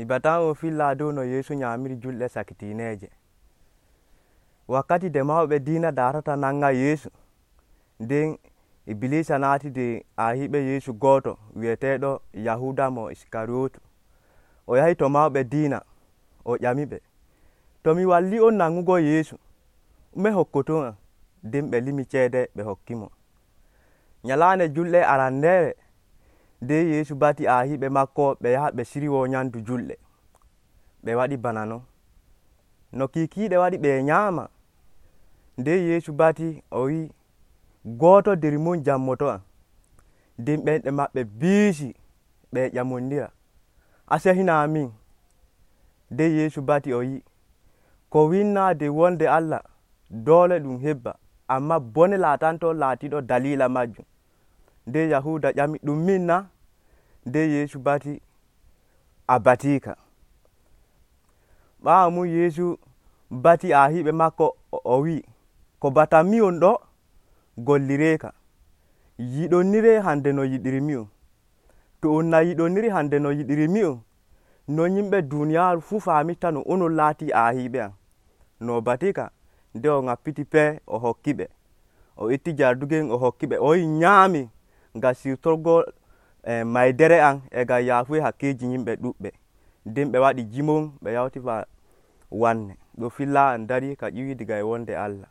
Mi batan on filla dow no Yeesu nyamiri julɗe sakitineeje. Wakkati nde mawɓe diina darata nanga Yeesu, nden Iblisa naati nde arhiiɓe Yeesu gooto wi'eteeɗo Yahuda mo Iskariyotu. O yahi to mawɓe diina o ƴamiɓe, to mi walli on nangugo Yeesu, ɗume hokkoton am? Nden ɓe limi ceede ɓe hokki mo. Nyalaande julɗe arandeere nden Yeesu bati arhiiɓe makko ɓe yaha ɓe sirwo nyamdu julɗe. Ɓe waɗi bana non. No kiikiiɗe waɗi ɓe nyaama, nden Yeesu bati o wi'i, gooto nder mon jammoto am. Nden ɓenɗe maɓɓe biisi ɓe ƴamondira, a sehinaa min. Nden Yeesu bati o wi'i, ko winnaa nder wonde Allah doole ɗum hebba, amma bone laatanto laatiɗo dalila majjum. Nden Yahuda ƴami, ɗum min na? Nden Yeesu bati, a batiika. Ɓaawo mum Yeesu bati arhiiɓe makko o wi'i, ko batanmi'on ɗo gollireeka. Yiɗonniree hande no yiɗirmi'on. To on na yiɗonniri hande no yiɗirmi'on, non yimɓe duuniyaaru fuu faamitta no onon laatii arhiiɓe am. No o batika, nden o ŋappiti pee o hokki ɓe. O itti jardugen o hokki ɓe, o wi'i nyaami ngam siwtorgo maydere am e ngam yaafuye hakkeeji yimɓe ɗuuɗɓe. Nden ɓe waɗi jimon ɓe yawti wanne. Ɗo filla am darii ka ƴiwi diga e wonde Allah.